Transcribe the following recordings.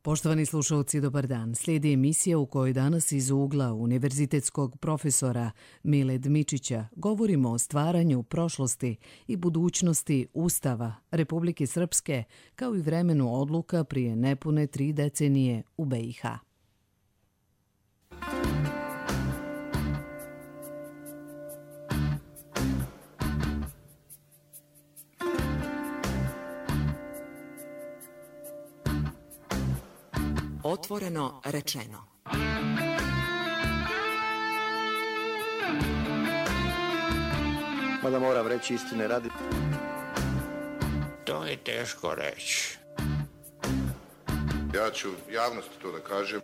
Poštovani slušalci, dobar dan. Slijedi emisija u kojoj danas iz ugla univerzitetskog profesora Mile Dmičića govorimo o stvaranju prošlosti i budućnosti Ustava Republike Srpske kao i vremenu odluka prije nepune 3 decenije u BiH. Otvoreno rečeno. Mada moram reći istine radi. To je teško reći. Ja ću javnosti to da kažem.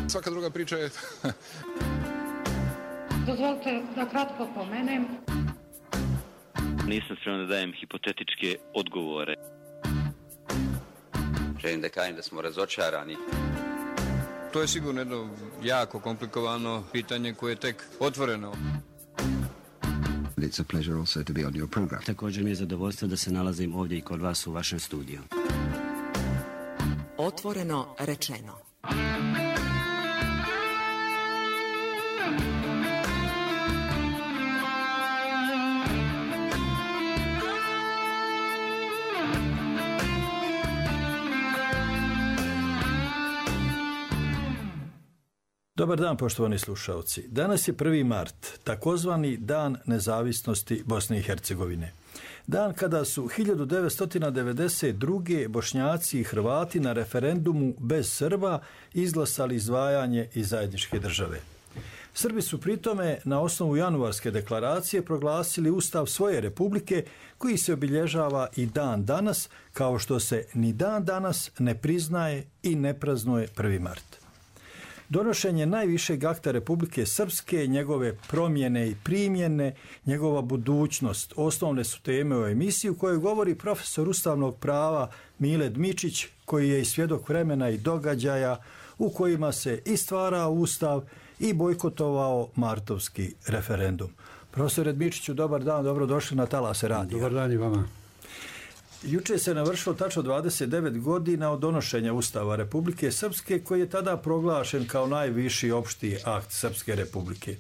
Svaka druga priča je... Dozvolite da kratko pomenem. Nisam spreman da dajem hipotetičke odgovore. Želim da kažem da smo razočarani. To je sigurno jedno jako komplikovano pitanje koje je tek otvoreno. It's a pleasure also to be on your program. Također mi je zadovoljstvo da se nalazim ovdje i kod vas u vašem studiju. Otvoreno rečeno. Dobar dan, poštovani slušalci. Danas je 1. mart, takozvani Dan nezavisnosti Bosne i Hercegovine. Dan kada su 1992. Bošnjaci i Hrvati na referendumu bez Srba izglasali izdvajanje iz zajedničke države. Srbi su pritome na osnovu januarske deklaracije proglasili ustav svoje republike koji se obilježava i dan danas, kao što se ni dan danas ne priznaje i ne praznuje 1. mart. Donošenje najvišeg akta Republike Srpske, njegove promjene i primjene, njegova budućnost, osnovne su teme u emisiji u kojoj govori profesor ustavnog prava Mile Dmičić, koji je i svjedok vremena i događaja u kojima se i stvarao ustav i bojkotovao martovski referendum. Profesore Dmičiću, dobar dan, dobrodošli na Talase radija. Dobar dan i vama. Juče se navršilo tačno 29 godina od donošenja Ustava Republike Srpske, koji je tada proglašen kao najviši opšti akt Srpske republike.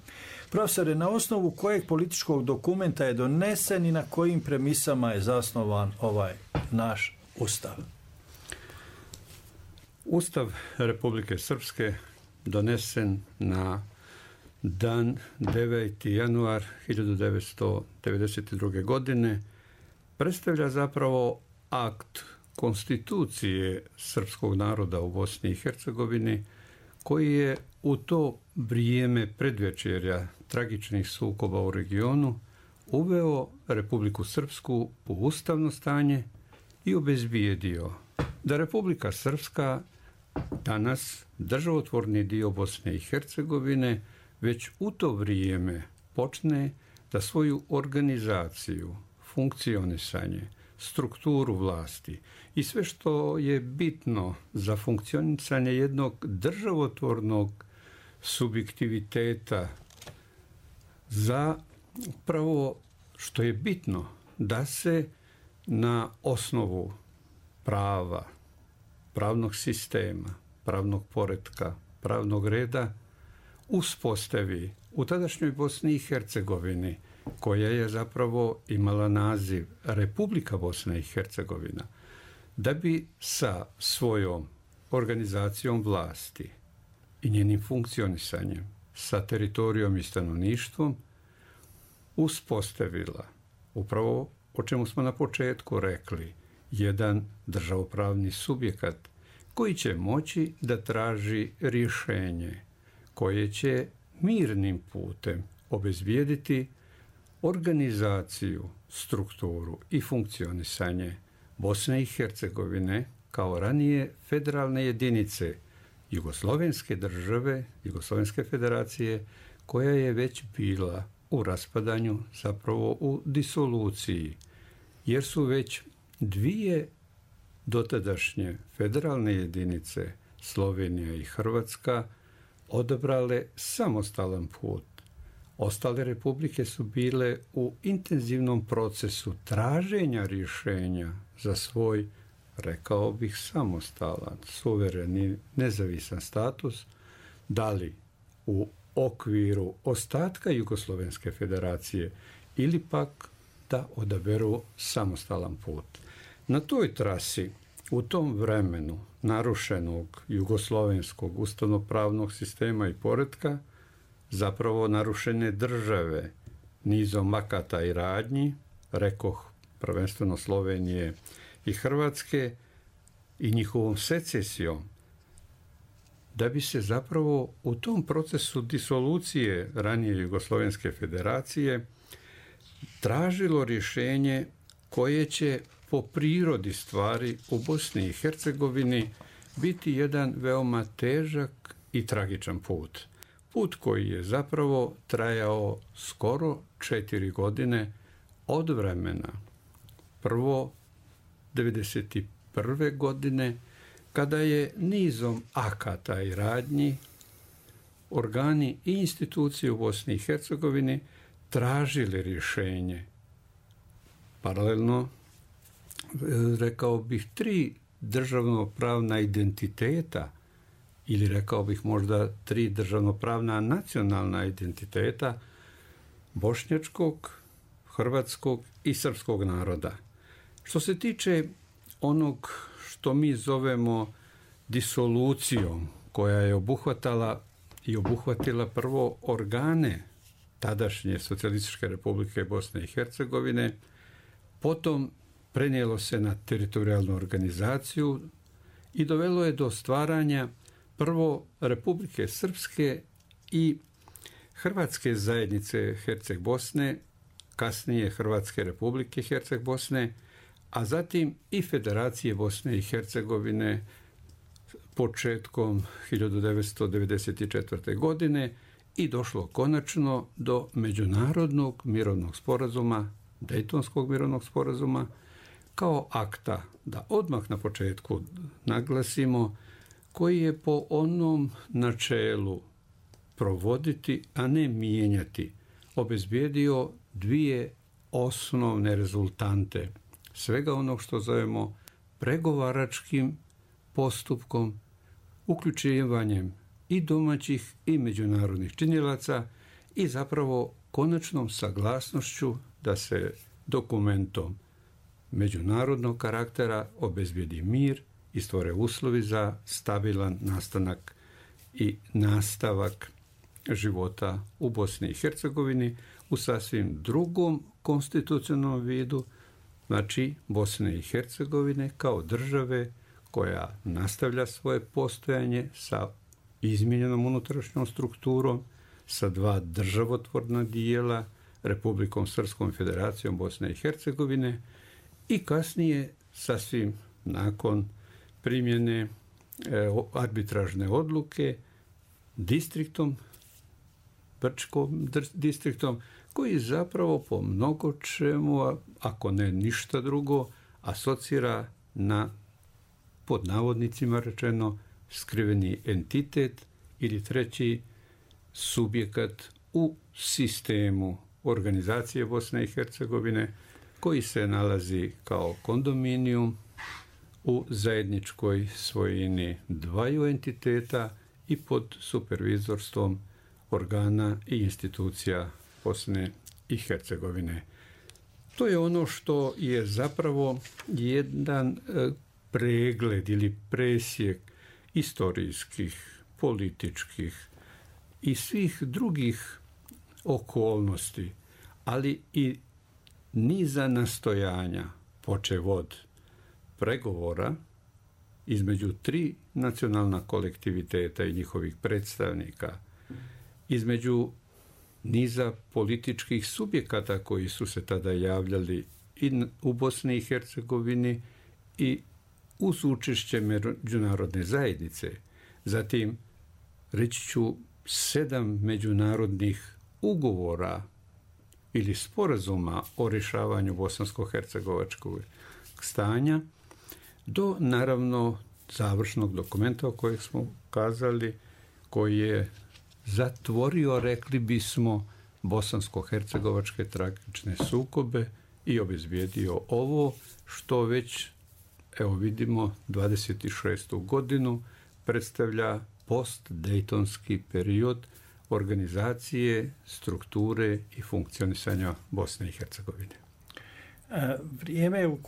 Profesore, na osnovu kojeg političkog dokumenta je donesen i na kojim premisama je zasnovan ovaj naš Ustav? Ustav Republike Srpske donesen na dan 9. januar 1992. godine predstavlja zapravo akt konstitucije srpskog naroda u Bosni i Hercegovini, koji je u to vrijeme predvečerja tragičnih sukoba u regionu uveo Republiku Srpsku u ustavno stanje i obezbijedio da Republika Srpska, danas državotvorni dio Bosne i Hercegovine, već u to vrijeme počne da svoju organizaciju, funkcionisanje, strukturu vlasti i sve što je bitno za funkcionisanje jednog državotvornog subjektiviteta, za upravo što je bitno da se na osnovu prava, pravnog sistema, pravnog poretka, pravnog reda uspostavi u tadašnjoj Bosni i Hercegovini, koja je zapravo imala naziv Republika Bosna i Hercegovina, da bi sa svojom organizacijom vlasti i njenim funkcionisanjem, sa teritorijom i stanovništvom uspostavila upravo o čemu smo na početku rekli, jedan državopravni subjekat koji će moći da traži rješenje koje će mirnim putem obezbijediti organizaciju, strukturu i funkcionisanje Bosne i Hercegovine kao ranije federalne jedinice Jugoslovenske države, Jugoslovenske federacije, koja je već bila u raspadanju, zapravo u disoluciji, jer su već dvije dotadašnje federalne jedinice, Slovenija i Hrvatska, odabrale samostalan put. Ostale republike su bile u intenzivnom procesu traženja rješenja za svoj rekao bih, samostalan, suvereni, nezavisan status, da li u okviru ostatka Jugoslovenske federacije ili pak da odaberu samostalan put. Na toj trasi, u tom vremenu narušenog jugoslovenskog ustavnopravnog sistema i poretka, zapravo narušene države nizom akata i radnji, rekoh prvenstveno Slovenije i Hrvatske, i njihovom secesijom, da bi se zapravo u tom procesu disolucije ranije Jugoslovenske federacije tražilo rješenje koje će po prirodi stvari u Bosni i Hercegovini biti jedan veoma težak i tragičan put. Put koji je zapravo trajao skoro 4 godine od vremena prvo 1991. godine, kada je nizom akata i radnji organi i institucije u Bosni i Hercegovini tražili rješenje. Paralelno, rekao bih, 3 državnopravna identiteta, ili rekao bih možda 3 državnopravna nacionalna identiteta bošnjačkog, hrvatskog i srpskog naroda. Što se tiče onog što mi zovemo disolucijom, koja je obuhvatala i obuhvatila prvo organe tadašnje Socijalističke republike Bosne i Hercegovine, potom prenijelo se na teritorijalnu organizaciju i dovelo je do stvaranja prvo Republike Srpske i Hrvatske zajednice Herceg Bosne, kasnije Hrvatske republike Herceg Bosne, a zatim i Federacije Bosne i Hercegovine početkom 1994. godine i došlo konačno do međunarodnog mirovnog sporazuma, Dejtonskog mirovnog sporazuma, kao akta, da odmah na početku naglasimo, koji je po onom načelu provoditi, a ne mijenjati, obezbijedio 2 osnovne rezultante svega onog što zovemo pregovaračkim postupkom, uključivanjem i domaćih i međunarodnih činilaca i zapravo konačnom saglasnošću da se dokumentom međunarodnog karaktera obezbijedi mir i stvore uslovi za stabilan nastanak i nastavak života u Bosni i Hercegovini u sasvim drugom konstitucionalnom vidu, znači Bosne i Hercegovine kao države koja nastavlja svoje postojanje sa izmijenjenom unutrašnjom strukturom, sa 2 državotvorna dijela, Republikom Srpskom i Federacijom Bosne i Hercegovine, i kasnije, sasvim nakon primjene arbitražne odluke, distriktom, Brčkom distriktom, koji zapravo po mnogo čemu, ako ne ništa drugo, asocira na, pod navodnicima rečeno, skriveni entitet ili treći subjekat u sistemu organizacije Bosne i Hercegovine, koji se nalazi kao kondominijum u zajedničkoj svojini 2 entiteta i pod supervizorstvom organa i institucija Bosne i Hercegovine. To je ono što je zapravo jedan pregled ili presjek istorijskih, političkih i svih drugih okolnosti, ali i niza nastojanja, počev od pregovora između 3 nacionalna kolektiviteta i njihovih predstavnika, između niza političkih subjekata koji su se tada javljali i u Bosni i Hercegovini i uz učešće međunarodne zajednice. Zatim, reći ću, 7 međunarodnih ugovora ili sporazuma o rješavanju bosansko-hercegovačkog stanja, do naravno završnog dokumenta o kojeg smo kazali, koji je zatvorio, rekli bismo, bosansko-hercegovačke tragične sukobe i obezbijedio ovo što već evo vidimo, 26. godinu predstavlja post-dejtonski period organizacije, strukture i funkcionisanja Bosne i Hercegovine. Vrijeme u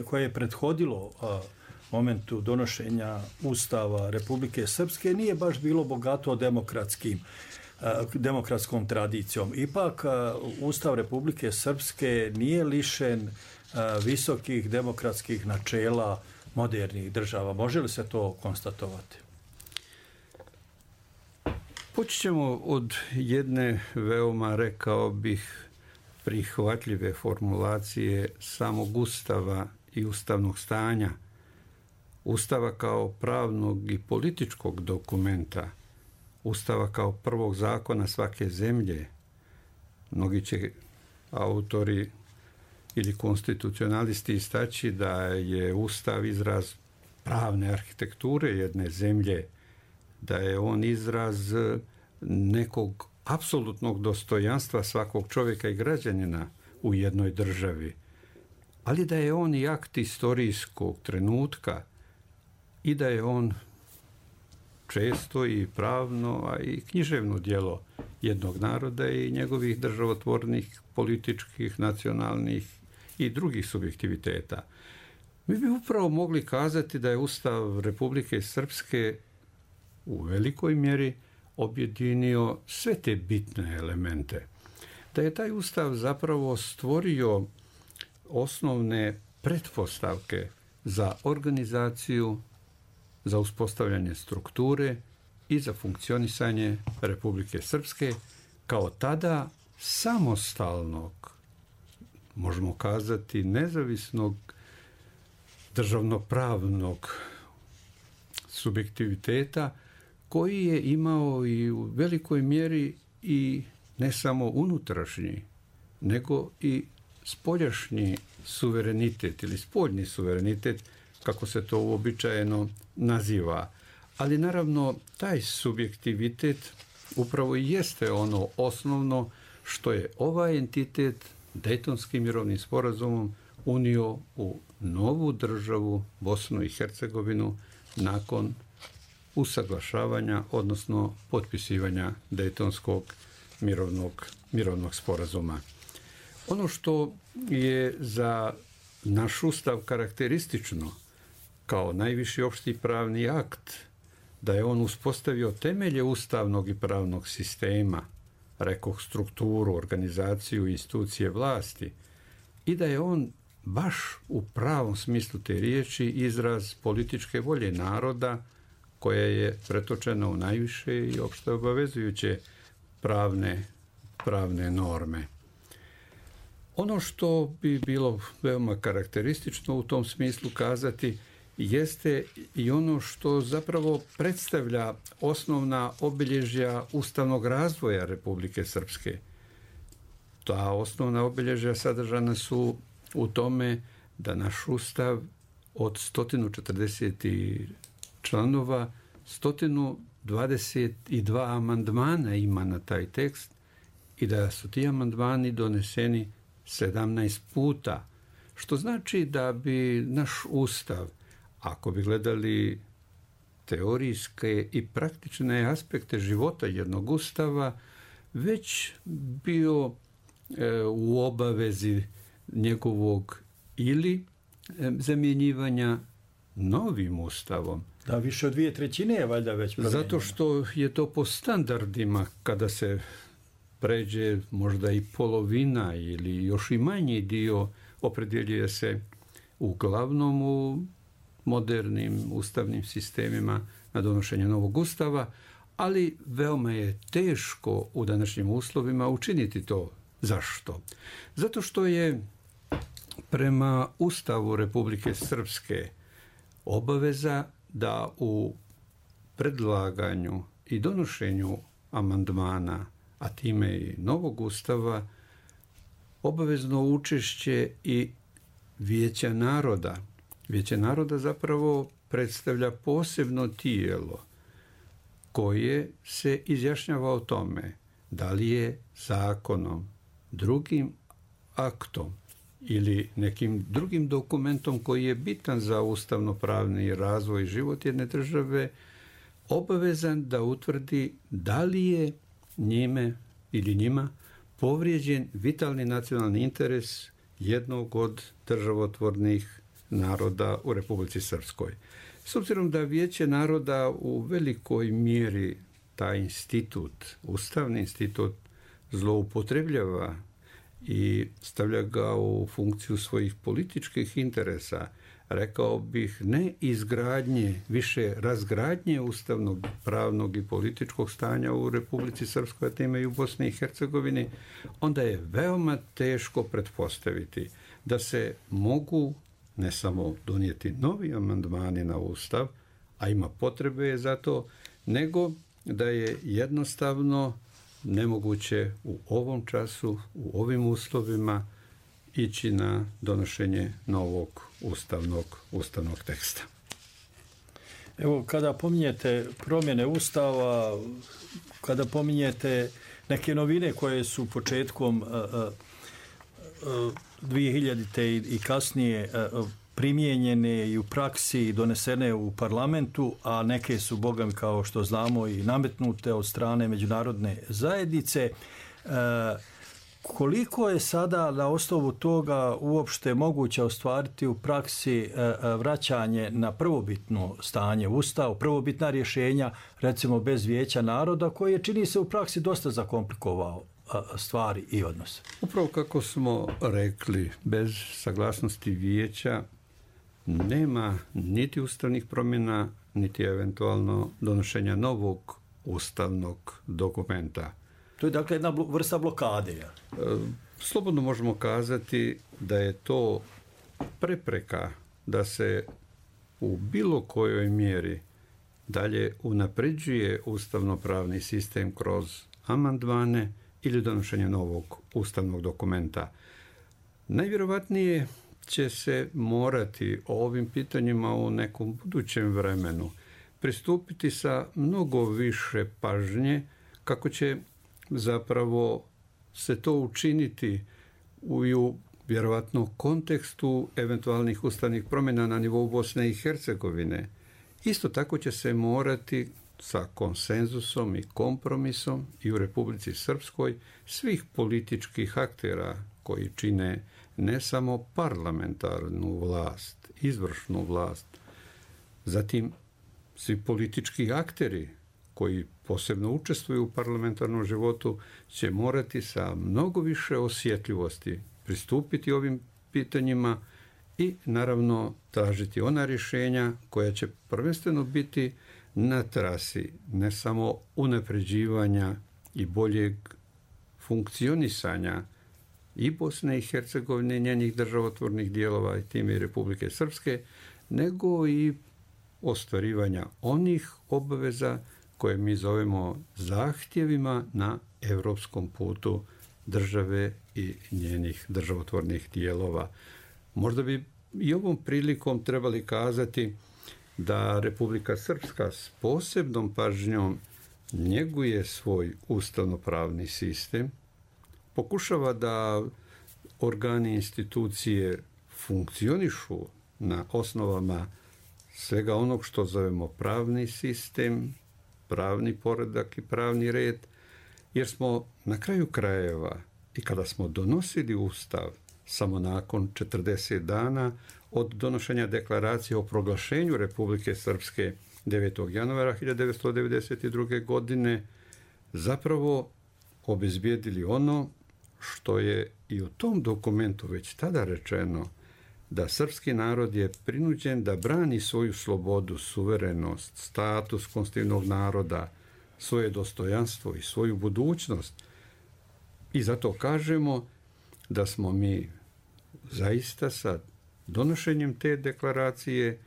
koje je prethodilo momentu donošenja Ustava Republike Srpske nije baš bilo bogato demokratskom tradicijom. Ipak, Ustav Republike Srpske nije lišen visokih demokratskih načela modernih država. Može li se to konstatovati? Počet ćemo od jedne veoma, rekao bih, prihvatljive formulacije samog Ustava i ustavnog stanja. Ustava kao pravnog i političkog dokumenta, Ustava kao prvog zakona svake zemlje. Mnogi će autori ili konstitucionalisti istaći da je Ustav izraz pravne arhitekture jedne zemlje, da je on izraz nekog apsolutnog dostojanstva svakog čovjeka i građanina u jednoj državi, ali da je on i akt istorijskog trenutka i da je on često i pravno, a i književno djelo jednog naroda i njegovih državotvornih, političkih, nacionalnih i drugih subjektiviteta. Mi bi upravo mogli kazati da je Ustav Republike Srpske u velikoj mjeri objedinio sve te bitne elemente. Da je taj Ustav zapravo stvorio osnovne pretpostavke za organizaciju, za uspostavljanje strukture i za funkcionisanje Republike Srpske kao tada samostalnog, možemo kazati nezavisnog državnopravnog subjektiviteta koji je imao i u velikoj mjeri i ne samo unutrašnji, nego i spoljašnji suverenitet ili spoljni suverenitet, kako se to uobičajeno naziva. Ali naravno taj subjektivitet upravo i jeste ono osnovno što je ovaj entitet Dejtonskim mirovnim sporazumom unio u novu državu Bosnu i Hercegovinu nakon usaglašavanja, odnosno potpisivanja Dejtonskog mirovnog sporazuma. Ono što je za naš Ustav karakteristično kao najviši opšti pravni akt, da je on uspostavio temelje ustavnog i pravnog sistema, rekoh strukturu, organizaciju i institucije vlasti, i da je on baš u pravom smislu te riječi izraz političke volje naroda koja je pretočena u najviše i opšte obavezujuće pravne norme. Ono što bi bilo veoma karakteristično u tom smislu kazati jeste i ono što zapravo predstavlja osnovna obilježja ustavnog razvoja Republike Srpske. Ta osnovna obilježja sadržana su u tome da naš Ustav od 140 članova, 122 amandmana ima na taj tekst i da su ti amandmani doneseni 17 puta, što znači da bi naš Ustav, ako bi gledali teorijske i praktične aspekte života jednog Ustava, već bio u obavezi njegovog ili zamjenjivanja novim Ustavom. Da, više od 2/3 je valjda već promijenjeno. Zato što je to po standardima, kada se pređe možda i polovina ili još i manji dio, opredjeljuje se uglavnom u modernim ustavnim sistemima na donošenje novog Ustava, ali veoma je teško u današnjim uslovima učiniti to. Zašto? Zato što je prema Ustavu Republike Srpske obaveza da u predlaganju i donošenju amandmana, a time i novog Ustava, obavezno učešće i Vijeća naroda. Vijeće naroda zapravo predstavlja posebno tijelo koje se izjašnjava o tome da li je zakonom, drugim aktom ili nekim drugim dokumentom koji je bitan za ustavno-pravni razvoj i život jedne države, obavezan da utvrdi da li je njime ili njima povrijeđen vitalni nacionalni interes jednog od državotvornih naroda u Republici Srpskoj. S obzirom da Vijeće naroda u velikoj mjeri taj institut, ustavni institut, zloupotrebljava i stavlja ga u funkciju svojih političkih interesa, rekao bih ne izgradnje, više razgradnje ustavnog, pravnog i političkog stanja u Republici Srpskoj, a time i u Bosni i Hercegovini, onda je veoma teško pretpostaviti da se mogu ne samo donijeti novi amandmani na Ustav, a ima potrebe za to, nego da je jednostavno nemoguće u ovom času, u ovim uslovima ići na donošenje novog ustavnog teksta. Evo, kada pominjete promjene Ustava, kada pominjete neke novine koje su početkom 2000. i kasnije primijenjene i u praksi i donesene u parlamentu, a neke su, bogami, kao što znamo, i nametnute od strane međunarodne zajednice, koliko je sada na osnovu toga uopšte moguće ostvariti u praksi vraćanje na prvobitno stanje Ustava, prvobitna rješenja, recimo bez Vijeća naroda, koje je, čini se, u praksi dosta zakomplikovao stvari i odnose? Upravo kako smo rekli, bez saglasnosti Vijeća nema niti ustavnih promjena, niti eventualno donošenja novog ustavnog dokumenta. To je dakle jedna vrsta blokade. Slobodno možemo kazati da je to prepreka da se u bilo kojoj mjeri dalje unapređuje ustavno-pravni sistem kroz amandmane ili donošenje novog ustavnog dokumenta. Najvjerovatnije će se morati ovim pitanjima u nekom budućem vremenu pristupiti sa mnogo više pažnje kako će zapravo se to učiniti u vjerovatno kontekstu eventualnih ustavnih promjena na nivou Bosne i Hercegovine. Isto tako će se morati sa konsenzusom i kompromisom i u Republici Srpskoj svih političkih aktera koji čine ne samo parlamentarnu vlast, izvršnu vlast, zatim svi politički akteri koji posebno učestvuju u parlamentarnom životu će morati sa mnogo više osjetljivosti pristupiti ovim pitanjima i naravno tražiti ona rješenja koja će prvenstveno biti na trasi ne samo unapređivanja i boljeg funkcionisanja i Bosne i Hercegovine i njenih državotvornih dijelova i time i Republike Srpske, nego i ostvarivanja onih obaveza koje mi zovemo zahtjevima na europskom putu države i njenih državotvornih dijelova. Možda bi i ovom prilikom trebali kazati da Republika Srpska s posebnom pažnjom njeguje svoj ustavno-pravni sistem, pokušava da organi institucije funkcionišu na osnovama svega onog što zovemo pravni sistem, pravni poredak i pravni red, jer smo na kraju krajeva i kada smo donosili Ustav samo nakon 40 dana od donošenja deklaracije o proglašenju Republike Srpske 9. januara 1992. godine, zapravo obezbijedili ono što je i u tom dokumentu već tada rečeno, da srpski narod je prinuđen da brani svoju slobodu, suverenost, status konstitutivnog naroda, svoje dostojanstvo i svoju budućnost. I zato kažemo da smo mi zaista sa donošenjem te deklaracije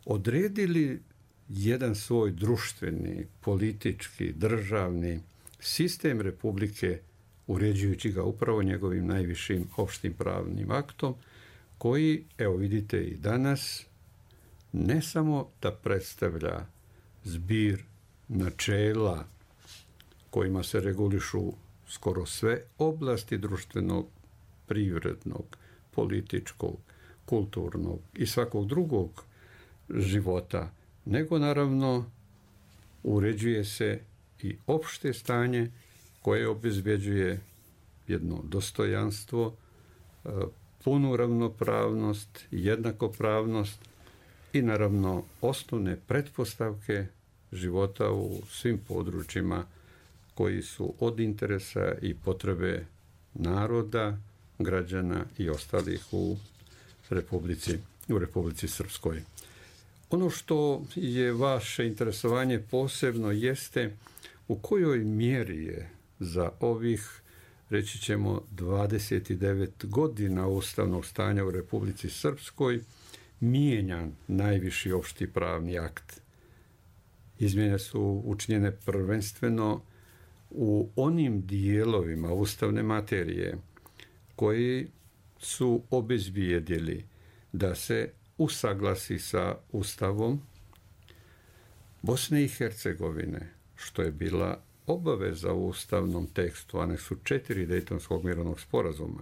odredili jedan svoj društveni, politički, državni sistem Republike, uređujući ga upravo njegovim najvišim opštim pravnim aktom, koji, evo vidite i danas, ne samo da predstavlja zbir načela kojima se regulišu skoro sve oblasti društvenog, privrednog, političkog, kulturnog i svakog drugog života, nego naravno uređuje se i opšte stanje koje obezbeđuje jedno dostojanstvo, punu ravnopravnost, jednakopravnost i naravno osnovne pretpostavke života u svim područjima koji su od interesa i potrebe naroda, građana i ostalih u Republici Srpskoj. Ono što je vaše interesovanje posebno jeste u kojoj mjeri je za ovih, reći ćemo, 29 godina ustavnog stanja u Republici Srpskoj mijenjan najviši opšti pravni akt. Izmjene su učinjene prvenstveno u onim dijelovima ustavne materije koji su obezbijedili da se usaglasi sa Ustavom Bosne i Hercegovine, što je bila obaveza u ustavnom tekstu aneksu 4 Dejtonskog mirovnog sporazuma.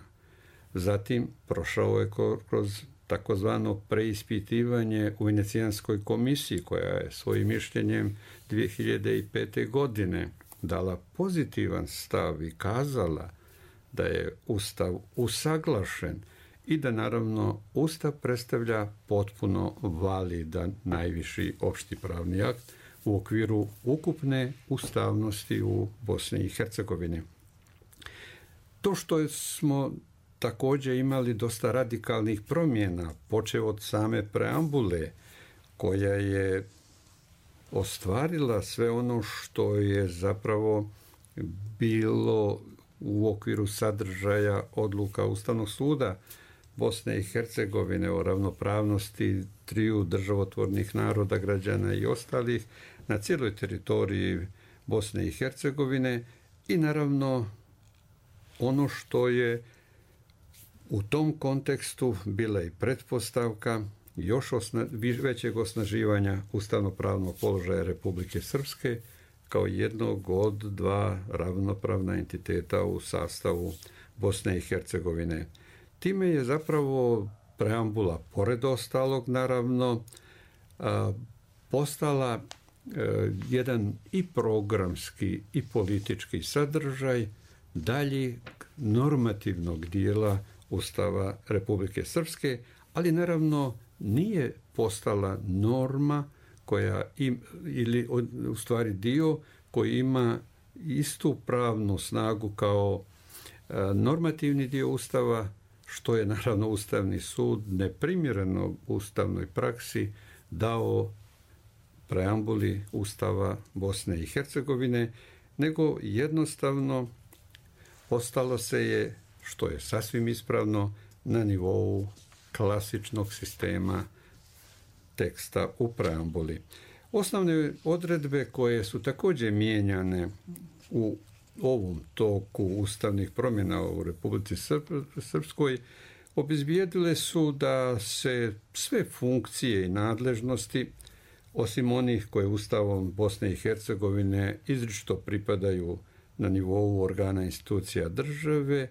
Zatim prošao je kroz takozvano preispitivanje u Venecijanskoj komisiji, koja je svojim mišljenjem 2005. godine dala pozitivan stav i kazala da je Ustav usaglašen i da naravno Ustav predstavlja potpuno validan najviši opšti pravni akt u okviru ukupne ustavnosti u Bosni i Hercegovini. To što smo također imali dosta radikalnih promjena, počev od same preambule, koja je ostvarila sve ono što je zapravo bilo u okviru sadržaja odluka Ustavnog suda Bosne i Hercegovine o ravnopravnosti triju državotvornih naroda, građana i ostalih na cijeloj teritoriji Bosne i Hercegovine i naravno ono što je u tom kontekstu bila i pretpostavka još većeg osnaživanja ustavnopravnog položaja Republike Srpske kao jednog od dva ravnopravna entiteta u sastavu Bosne i Hercegovine. Time je zapravo preambula, pored ostalog naravno, postala jedan i programski i politički sadržaj daljeg normativnog dijela Ustava Republike Srpske, ali naravno nije postala norma koja ili u stvari dio koji ima istu pravnu snagu kao normativni dio Ustava, što je naravno Ustavni sud neprimjereno ustavnoj praksi dao preambuli Ustava Bosne i Hercegovine, nego jednostavno ostalo se je, što je sasvim ispravno, na nivou klasičnog sistema teksta u preambuli. Osnovne odredbe koje su također mijenjane u ovom toku ustavnih promjena u Republici Srpskoj obezbijedile su da se sve funkcije i nadležnosti, osim onih koje Ustavom Bosne i Hercegovine izričito pripadaju na nivou organa institucija države,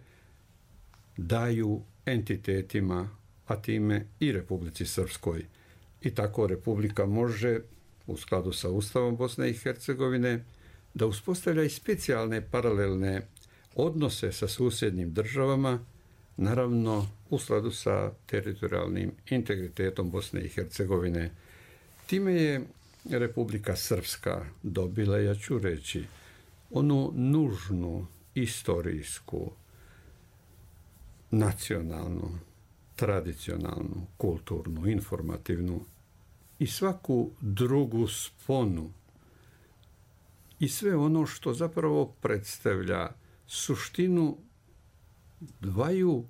daju entitetima, a time i Republici Srpskoj. I tako Republika može, u skladu sa Ustavom Bosne i Hercegovine, da uspostavlja i specijalne paralelne odnose sa susjednim državama, naravno u skladu sa teritorijalnim integritetom Bosne i Hercegovine. Time je Republika Srpska dobila, ja ću reći, onu nužnu istorijsku, nacionalnu, tradicionalnu, kulturnu, informativnu i svaku drugu sponu i sve ono što zapravo predstavlja suštinu dvaju,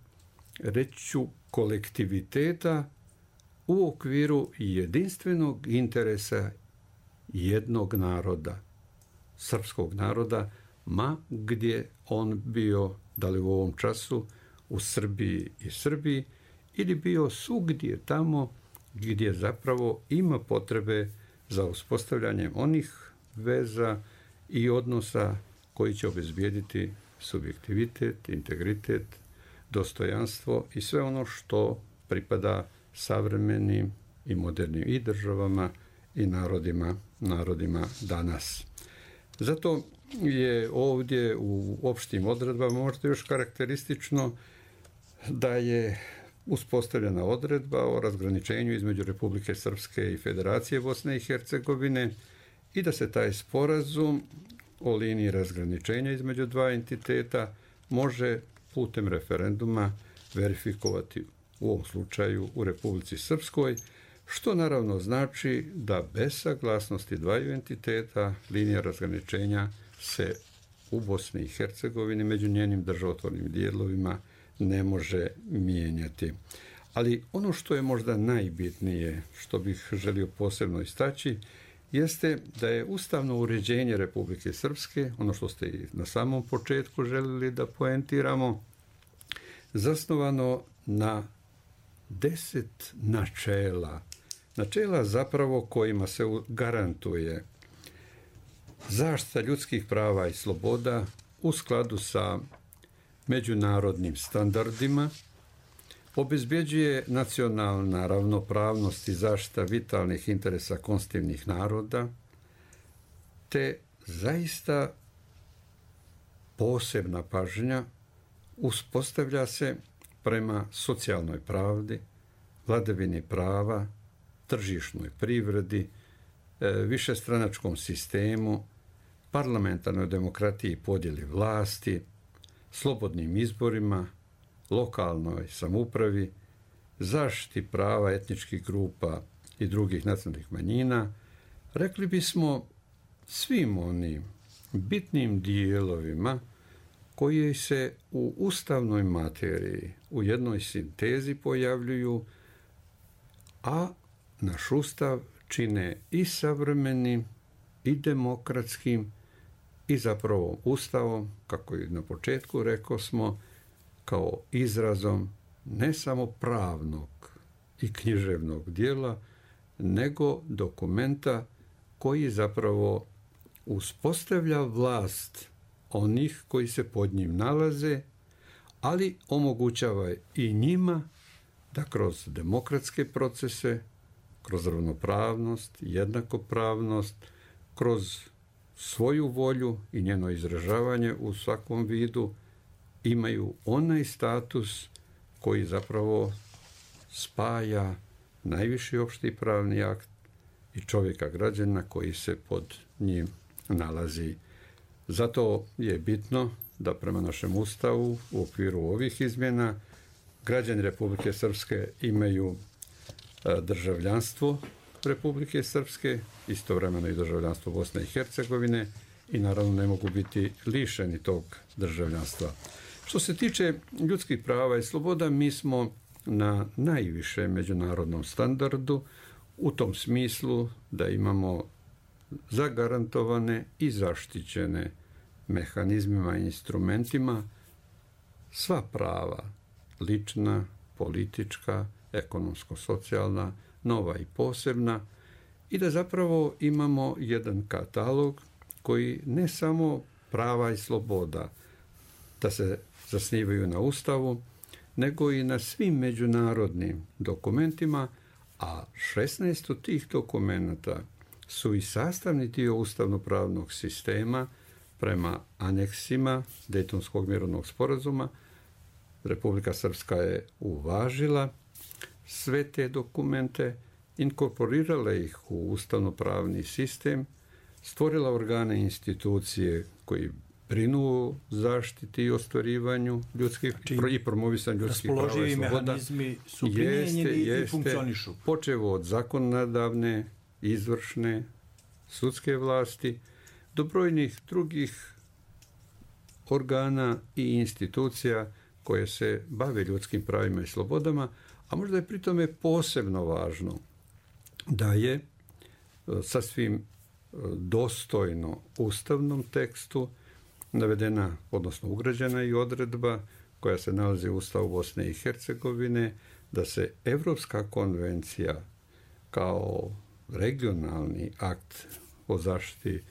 reću, kolektiviteta u okviru jedinstvenog interesa jednog naroda, srpskog naroda, ma gdje on bio, da li u ovom času u Srbiji i Srbiji, ili bio svugdje tamo gdje zapravo ima potrebe za uspostavljanjem onih veza i odnosa koji će obezbijediti subjektivitet, integritet, dostojanstvo i sve ono što pripada savremenim i modernim i državama i narodima danas. Zato je ovdje u opštim odredbama možda još karakteristično da je uspostavljena odredba o razgraničenju između Republike Srpske i Federacije Bosne i Hercegovine i da se taj sporazum o liniji razgraničenja između dva entiteta može putem referenduma verifikovati u ovom slučaju u Republici Srpskoj, što naravno znači da bez saglasnosti dvaju entiteta linija razgraničenja se u Bosni i Hercegovini među njenim državotvornim dijelovima ne može mijenjati. Ali ono što je možda najbitnije, što bih želio posebno istaći, jeste da je ustavno uređenje Republike Srpske, ono što ste i na samom početku željeli da poentiramo, zasnovano na 10 načela. Načela zapravo kojima se garantuje zaštita ljudskih prava i sloboda u skladu sa međunarodnim standardima, obezbjeđuje nacionalna ravnopravnost i zaštita vitalnih interesa konstitutivnih naroda, te zaista posebna pažnja uspostavlja se prema socijalnoj pravdi, vladavini prava, tržišnoj privredi, višestranačkom sistemu, parlamentarnoj demokratiji i podjeli vlasti, slobodnim izborima, lokalnoj samoupravi, zaštiti prava etničkih grupa i drugih nacionalnih manjina, rekli bismo svim onim bitnim dijelovima koji se u ustavnoj materiji u jednoj sintezi pojavljuju, a naš ustav čine i savremenim, i demokratskim, i zapravo ustavom, kako i na početku rekao smo, kao izrazom ne samo pravnog i književnog dijela, nego dokumenta koji zapravo uspostavlja vlast onih koji se pod njim nalaze, ali omogućava i njima da kroz demokratske procese, kroz ravnopravnost, jednakopravnost, kroz svoju volju i njeno izražavanje u svakom vidu imaju onaj status koji zapravo spaja najviši opšti pravni akt i čovjeka građana koji se pod njim nalazi. Zato je bitno da prema našem ustavu u okviru ovih izmjena građani Republike Srpske imaju državljanstvo Republike Srpske, istovremeno i državljanstvo Bosne i Hercegovine i naravno ne mogu biti lišeni tog državljanstva. Što se tiče ljudskih prava i sloboda, mi smo na najvišem međunarodnom standardu u tom smislu da imamo zagarantovane i zaštićene mehanizmima i instrumentima sva prava, lična, politička, ekonomsko-socijalna, nova i posebna, i da zapravo imamo jedan katalog koji ne samo prava i sloboda da se zasnivaju na Ustavu, nego i na svim međunarodnim dokumentima, a 16 od tih dokumenata su i sastavni dio ustavno-pravnog sistema prema aneksima Dejtonskog mirovnog sporazuma. Republika Srpska je uvažila sve te dokumente, inkorporirala ih u ustavno-pravni sistem, stvorila organe i institucije koji brinu o zaštiti i ostvarivanju ljudskih i promovisanju ljudskih prava i sloboda. Mehanizmi su primijenjeni i funkcionišu. Počevo od zakonodavne, izvršne, sudske vlasti, do brojnih drugih organa i institucija koje se bave ljudskim pravima i slobodama, a možda je pri tome posebno važno da je sasvim dostojno ustavnom tekstu navedena, odnosno ugrađena i odredba koja se nalazi u Ustavu Bosne i Hercegovine, da se Evropska konvencija kao regionalni akt o zaštiti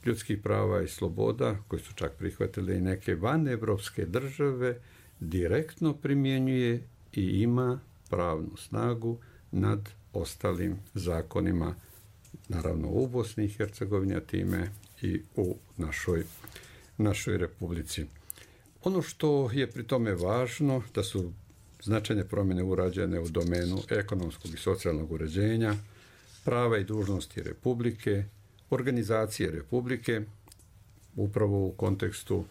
ljudskih prava i sloboda, koji su čak prihvatile i neke vanevropske države, direktno primjenjuje i ima pravnu snagu nad ostalim zakonima, naravno u Bosni i Hercegovini, a time i u našoj republici. Ono što je pri tome važno, da su značajne promjene urađene u domenu ekonomskog i socijalnog uređenja, prava i dužnosti Republike, organizacije Republike, upravo u kontekstu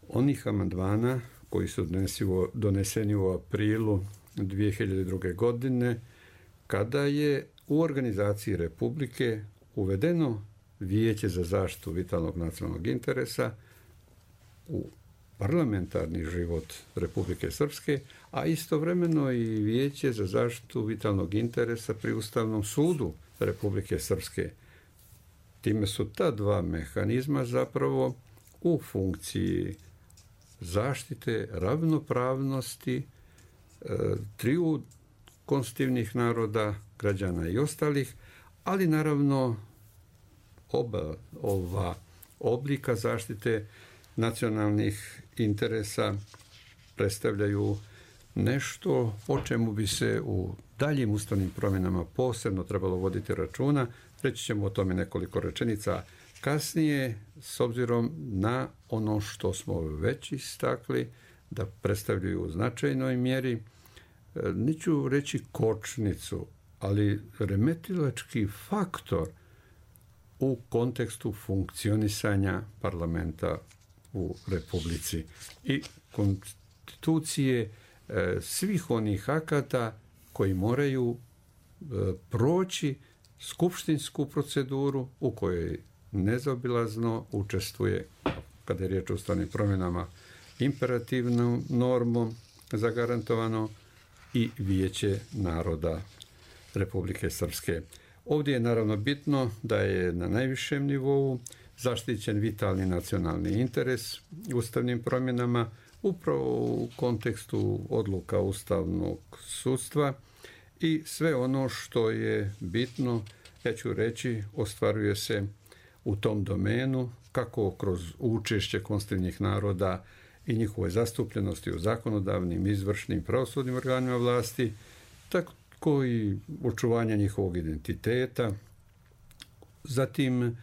onih amandmana koji su doneseni u aprilu 2002. godine, kada je u organizaciji Republike uvedeno Vijeće za zaštitu vitalnog nacionalnog interesa u parlamentarni život Republike Srpske, a istovremeno i Vijeće za zaštitu vitalnog interesa pri Ustavnom sudu Republike Srpske. Time su ta dva mehanizma zapravo u funkciji zaštite ravnopravnosti triju konstitutivnih naroda, građana i ostalih, ali naravno oba ova oblika zaštite nacionalnih interesa predstavljaju nešto o čemu bi se u daljim ustavnim promjenama posebno trebalo voditi računa. Reći ćemo o tome nekoliko rečenica kasnije, s obzirom na ono što smo već istakli, da predstavljaju u značajnoj mjeri, neću reći kočnicu, ali remetilački faktor u kontekstu funkcionisanja parlamenta u Republici i konstitucije svih onih akata koji moraju proći skupštinsku proceduru u kojoj nezaobilazno učestvuje, kada je riječ o ustavnim promjenama, imperativnom normom zagarantovano i Vijeće naroda Republike Srpske. Ovdje je naravno bitno da je na najvišem nivou zaštićen vitalni nacionalni interes ustavnim promjenama upravo u kontekstu odluka Ustavnog sudstva i sve ono što je bitno, ja ću reći, ostvaruje se u tom domenu kako kroz učešće konstitutivnih naroda i njihove zastupljenosti u zakonodavnim, izvršnim, pravosudnim organima vlasti, tako i očuvanja njihovog identiteta, zatim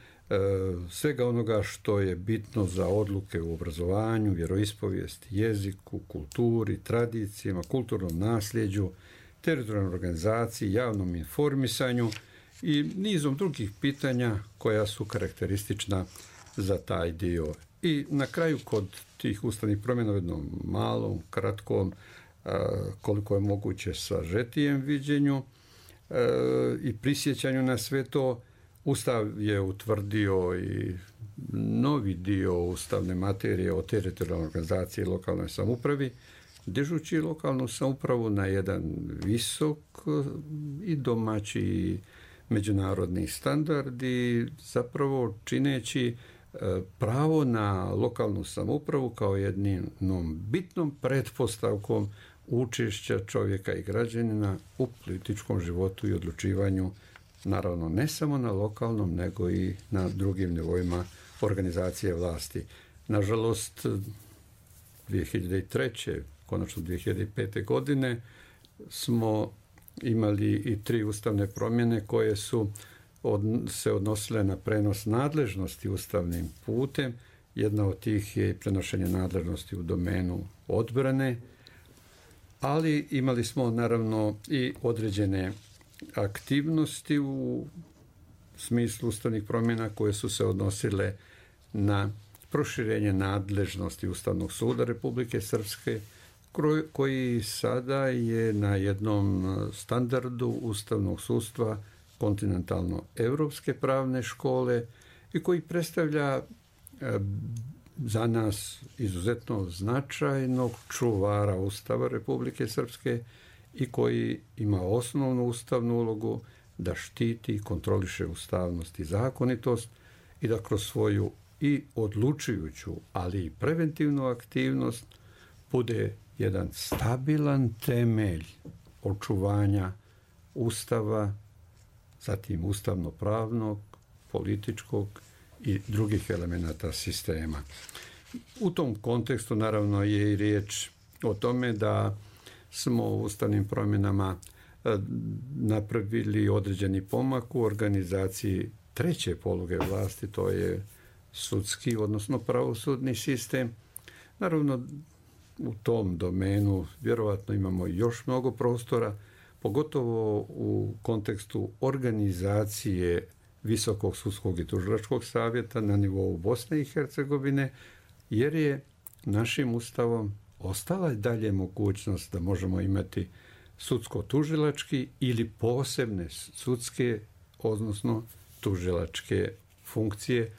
svega onoga što je bitno za odluke u obrazovanju, vjeroispovijesti, jeziku, kulturi, tradicijama, kulturnom nasljeđu, teritorijalnoj organizaciji, javnom informisanju i nizom drugih pitanja koja su karakteristična za taj dio. I na kraju kod tih ustavnih promjena u jednom malom, kratkom, koliko je moguće sažetijem viđenju i prisjećanju na sve to, Ustav je utvrdio i novi dio ustavne materije o teritorijalnoj organizaciji i lokalnoj samoupravi, dižući lokalnu samoupravu na jedan visok i domaći i međunarodni standard i zapravo čineći pravo na lokalnu samoupravu kao jednom bitnom pretpostavkom učešća čovjeka i građanina u političkom životu i odlučivanju, naravno ne samo na lokalnom, nego i na drugim nivoima organizacije vlasti. Nažalost, 2003. konačno 2005. godine smo imali i 3 ustavne promjene koje su se odnosile na prenos nadležnosti ustavnim putem. Jedna od tih je prenošenje nadležnosti u domenu odbrane, ali imali smo naravno i određene aktivnosti u smislu ustavnih promjena koje su se odnosile na proširenje nadležnosti Ustavnog suda Republike Srpske, koji sada je na jednom standardu ustavnog sudstva kontinentalno-evropske pravne škole i koji predstavlja za nas izuzetno značajnog čuvara Ustava Republike Srpske i koji ima osnovnu ustavnu ulogu da štiti i kontroliše ustavnost i zakonitost i da kroz svoju i odlučujuću, ali i preventivnu aktivnost bude jedan stabilan temelj očuvanja Ustava, zatim ustavno-pravnog, političkog i drugih elemenata sistema. U tom kontekstu naravno je i riječ o tome da smo u ustavnim promjenama napravili određeni pomak u organizaciji treće poluge vlasti, to je sudski, odnosno pravosudni sistem. Naravno, u tom domenu vjerovatno imamo još mnogo prostora, pogotovo u kontekstu organizacije Visokog sudskog i tužilačkog savjeta na nivou Bosne i Hercegovine, jer je našim ustavom ostala dalje mogućnost da možemo imati sudsko-tužilački ili posebne sudske, odnosno tužilačke funkcije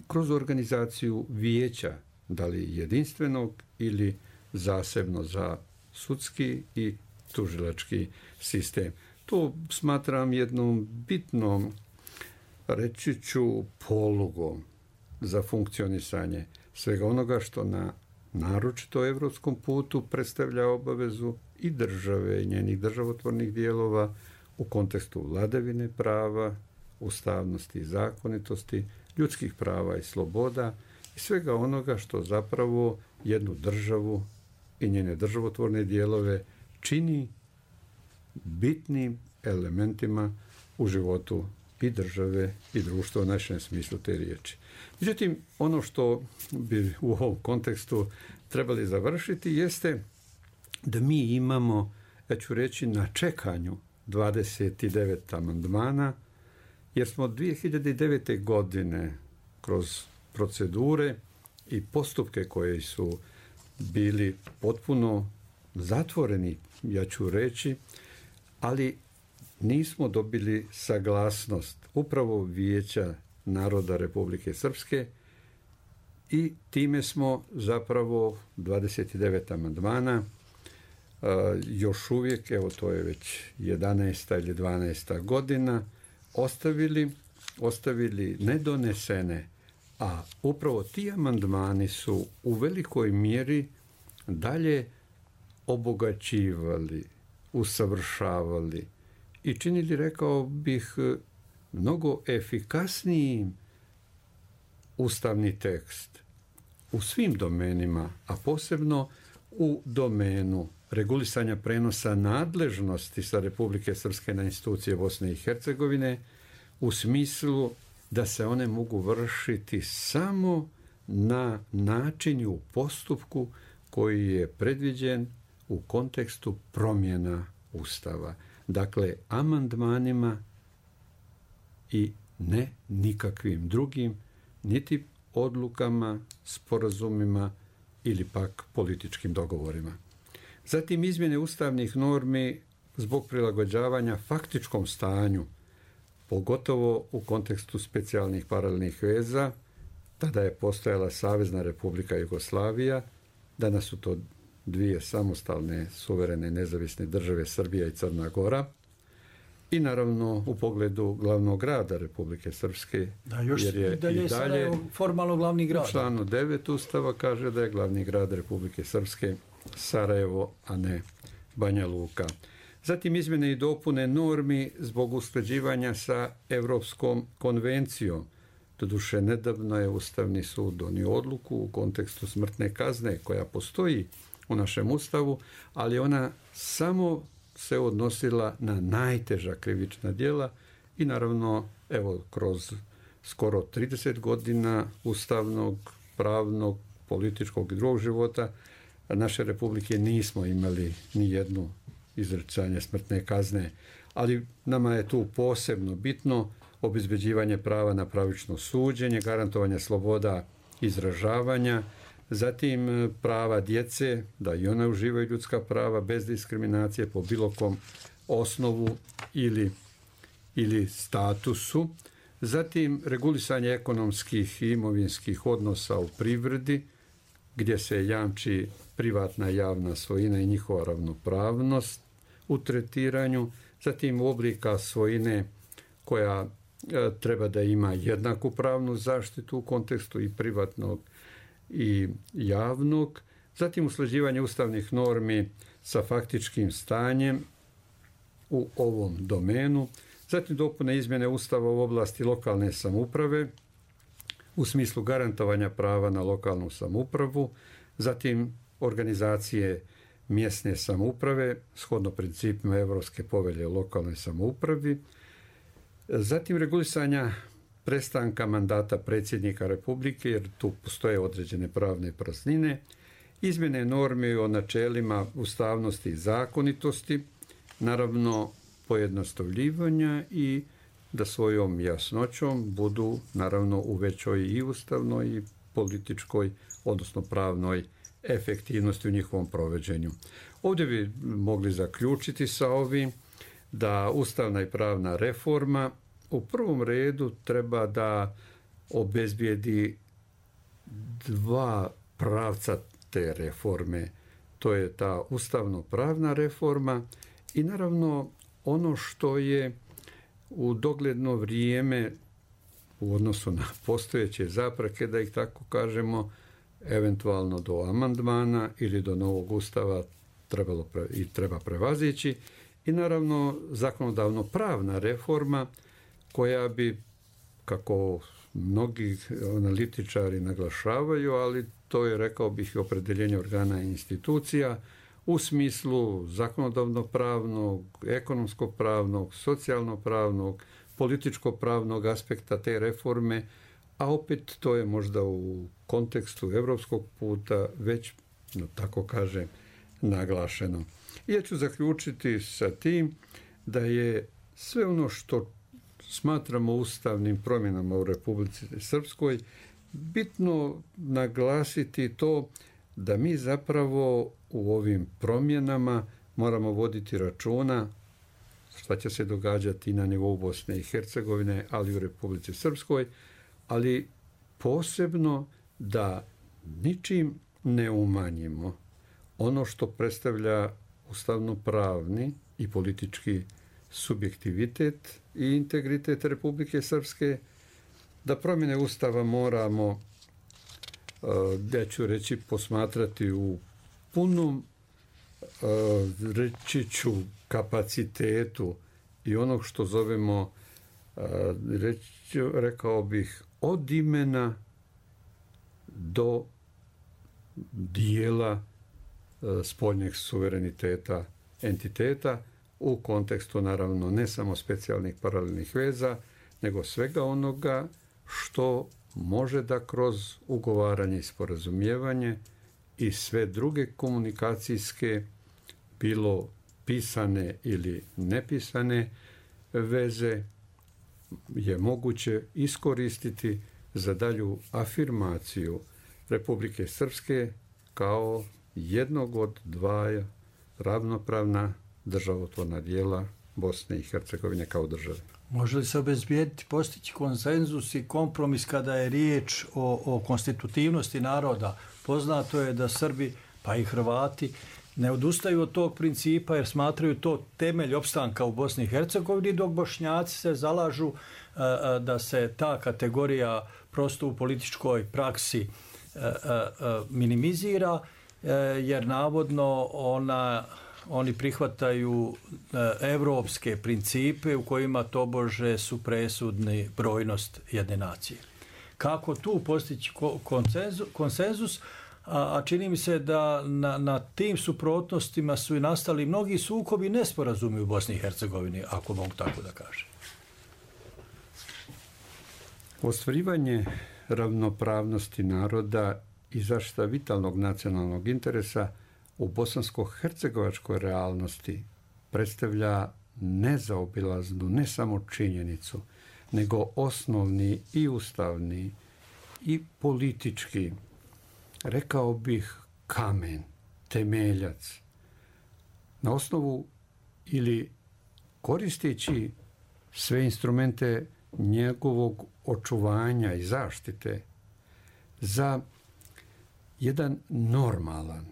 kroz organizaciju vijeća, da li jedinstvenog ili zasebno za sudski i tužilački sistem. To smatram jednom bitnom, reći ću, polugom za funkcionisanje svega onoga što na naročito evropskom putu predstavlja obavezu i države i njenih državotvornih dijelova u kontekstu vladavine prava, ustavnosti i zakonitosti, ljudskih prava i sloboda i svega onoga što zapravo jednu državu i njene državotvorne dijelove čini bitnim elementima u životu i države i društva u našem smislu te riječi. Međutim, ono što bi u ovom kontekstu trebali završiti jeste da mi imamo, ja ću reći, na čekanju 29 amandmana, jer smo 2009. godine kroz procedure i postupke koji su bili potpuno zatvoreni, ja ću reći, ali nismo dobili saglasnost upravo Vijeća naroda Republike Srpske i time smo zapravo 29 amandmana još uvijek, evo to je već 11. ili 12. godina, ostavili nedonesene, a upravo ti amandmani su u velikoj mjeri dalje obogaćivali, usavršavali i činili, rekao bih, mnogo efikasnijim ustavni tekst u svim domenima, a posebno u domenu regulisanja prenosa nadležnosti sa Republike Srpske na institucije Bosne i Hercegovine u smislu da se one mogu vršiti samo na način i u postupku koji je predviđen u kontekstu promjena Ustava. Dakle, amandmanima i ne nikakvim drugim, niti odlukama, sporazumima ili pak političkim dogovorima. Zatim izmjene ustavnih normi zbog prilagođavanja faktičkom stanju, pogotovo u kontekstu specijalnih paralelnih veza. Tada je postojala Savezna Republika Jugoslavija, danas su to dvije samostalne, suverene, nezavisne države, Srbija i Crna Gora. I naravno u pogledu glavnog grada Republike Srpske, jer je i dalje formalno glavni grad. U članu 9 Ustava kaže da je glavni grad Republike Srpske Sarajevo, a ne Banja Luka. Zatim izmjene i dopune normi zbog usklađivanja sa Europskom konvencijom. Doduše, nedavno je Ustavni sud donio odluku u kontekstu smrtne kazne koja postoji u našem Ustavu, ali ona samo se odnosila na najteža krivična djela i naravno, evo, kroz skoro 30 godina ustavnog, pravnog, političkog i drugog života naše republike nismo imali ni jednu izricanje smrtne kazne, ali nama je tu posebno bitno obezbeđivanje prava na pravično suđenje, garantovanje sloboda izražavanja, zatim prava djece, da i ona uživaju ljudska prava bez diskriminacije po bilo kom osnovu ili statusu, zatim regulisanje ekonomskih i imovinskih odnosa u privredi, gdje se jamči privatna javna svojina i njihova ravnopravnost u tretiranju, zatim oblika svojine koja treba da ima jednaku pravnu zaštitu u kontekstu i privatnog i javnog, zatim usklađivanje ustavnih normi sa faktičkim stanjem u ovom domenu, zatim dopune izmjene Ustava u oblasti lokalne samouprave u smislu garantovanja prava na lokalnu samoupravu, zatim organizacije mjesne samouprave, shodno principima Europske povelje o lokalnoj samoupravi, zatim regulisanja prestanka mandata predsjednika Republike, jer tu postoje određene pravne praznine, izmjene normi o načelima ustavnosti i zakonitosti, naravno pojednostavljivanja i da svojom jasnoćom budu naravno u većoj i ustavnoj i političkoj, odnosno pravnoj efektivnosti u njihovom provođenju. Ovdje bi mogli zaključiti sa ovim da ustavna i pravna reforma u prvom redu treba da obezbijedi dva pravca te reforme. To je ta ustavno-pravna reforma i naravno ono što je u dogledno vrijeme u odnosu na postojeće zapreke, da ih tako kažemo, eventualno do amandmana ili do novog ustava treba prevazići i naravno zakonodavno pravna reforma koja bi, kako mnogi analitičari naglašavaju, ali to je, rekao bih, opredjeljenje organa i institucija u smislu zakonodavno-pravnog, ekonomsko-pravnog, socijalno-pravnog, političko-pravnog aspekta te reforme, a opet to je možda u kontekstu europskog puta već, tako kažem, naglašeno. Ja ću zaključiti sa tim da je sve ono što smatramo ustavnim promjenama u Republici Srpskoj bitno naglasiti to da mi zapravo u ovim promjenama moramo voditi računa šta će se događati i na nivou Bosne i Hercegovine, ali i u Republici Srpskoj, ali posebno da ničim ne umanjimo ono što predstavlja ustavno-pravni i politički subjektivitet i integritet Republike Srpske, da promjene Ustava moramo, ja ću reći, posmatrati u punom, reći ću, kapacitetu i onog što zovemo, rekao bih, od imena do dijela spoljnjeg suvereniteta entiteta u kontekstu, naravno, ne samo specijalnih paralelnih veza, nego svega onoga što može da kroz ugovaranje i sporazumijevanje i sve druge komunikacijske, bilo pisane ili nepisane veze, je moguće iskoristiti za dalju afirmaciju Republike Srpske kao jednog od dva ravnopravna državotvorna dijela Bosne i Hercegovine kao države. Može li se obezbijediti, postići konsenzus i kompromis kada je riječ o konstitutivnosti naroda? Poznato je da Srbi, pa i Hrvati, ne odustaju od tog principa jer smatraju to temelj opstanka u Bosni i Hercegovini, dok Bošnjaci se zalažu da se ta kategorija prosto u političkoj praksi minimizira, jer navodno oni prihvataju evropske principe u kojima tobože su presudni brojnost jedne nacije. Kako tu postići konsenzus? A čini mi se da na tim suprotnostima su i nastali mnogi sukobi i nesporazumi u Bosni i Hercegovini, ako mogu tako da kažem. Ostvarivanje ravnopravnosti naroda i zaštita vitalnog nacionalnog interesa u bosansko-hercegovačkoj realnosti predstavlja nezaobilaznu ne samo činjenicu, nego osnovni i ustavni i politički, rekao bih, kamen, temeljac, na osnovu ili koristeći sve instrumente njegovog očuvanja i zaštite za jedan normalan,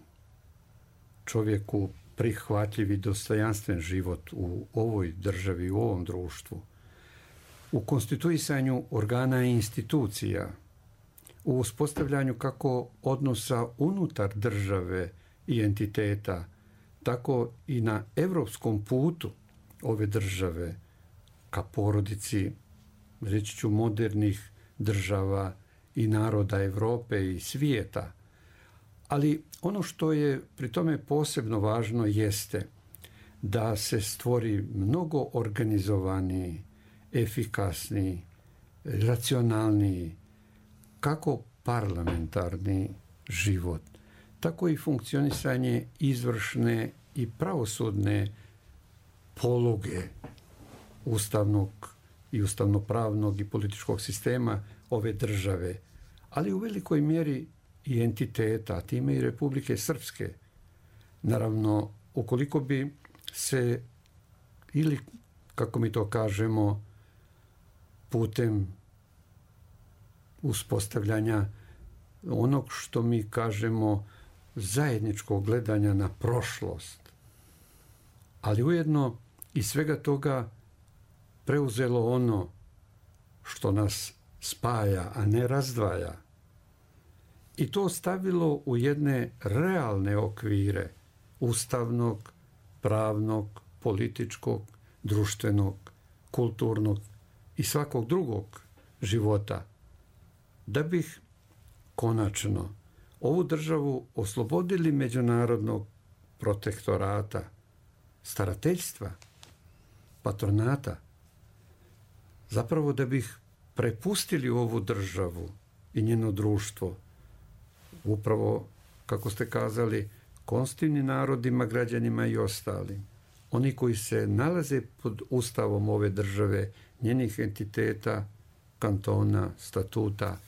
čovjeku prihvatljiv i dostojanstven život u ovoj državi, u ovom društvu, u konstituisanju organa i institucija, u uspostavljanju kako odnosa unutar države i entiteta, tako i na evropskom putu ove države ka porodici, reći ću, modernih država i naroda Europe i svijeta, Ali ono što je pri tome posebno važno jeste da se stvori mnogo organizovaniji, efikasniji, racionalniji, kako parlamentarni život, tako i funkcionisanje izvršne i pravosudne poluge ustavnog i ustavnopravnog i političkog sistema ove države, ali u velikoj mjeri i entiteta, a time i Republike Srpske. Naravno, ukoliko bi se, ili kako mi to kažemo, putem uspostavljanja onog što mi kažemo zajedničkog gledanja na prošlost, ali ujedno i svega toga preuzelo ono što nas spaja, a ne razdvaja, i to stavilo u jedne realne okvire ustavnog, pravnog, političkog, društvenog, kulturnog i svakog drugog života, da bih konačno ovu državu oslobodili međunarodnog protektorata, starateljstva, patronata, zapravo da bih prepustili ovu državu i njeno društvo upravo, kako ste kazali, konstitutivnim narodima, građanima i ostalim. Oni koji se nalaze pod ustavom ove države, njenih entiteta, kantona, statuta,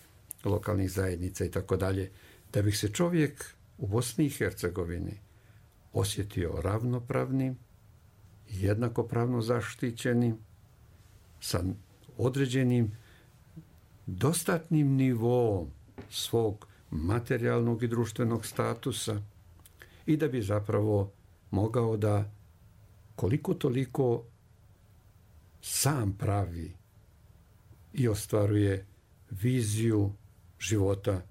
lokalnih zajednica i tako dalje, da bi se čovjek u Bosni i Hercegovini osjetio ravnopravnim, jednakopravno zaštićenim, sa određenim dostatnim nivoom svog materijalnog i društvenog statusa, i da bi zapravo mogao da koliko toliko sam pravi i ostvaruje viziju života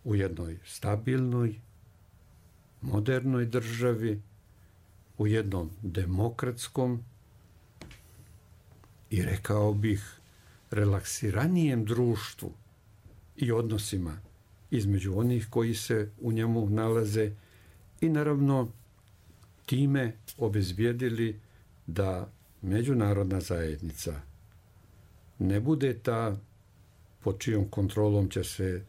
u jednoj stabilnoj, modernoj državi, u jednom demokratskom i, rekao bih, relaksiranijem društvu i odnosima između onih koji se u njemu nalaze, i naravno time obezbijedili da međunarodna zajednica ne bude ta pod čijom kontrolom će se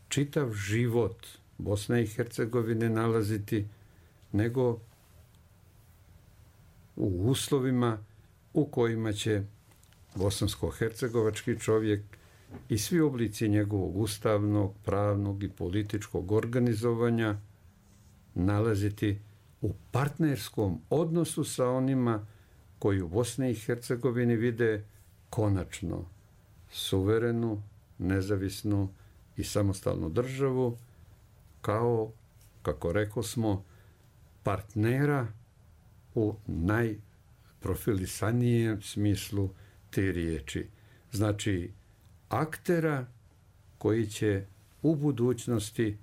čitav život Bosne i Hercegovine nalaziti, nego u uslovima u kojima će bosansko-hercegovački čovjek i svi oblici njegovog ustavnog, pravnog i političkog organizovanja nalaziti u partnerskom odnosu sa onima koji u Bosni i Hercegovini vide konačno suverenu, nezavisnu i samostalnu državu kao, kako rekosmo, partnera u najprofilisanijem smislu te riječi. Znači, aktera koji će u budućnosti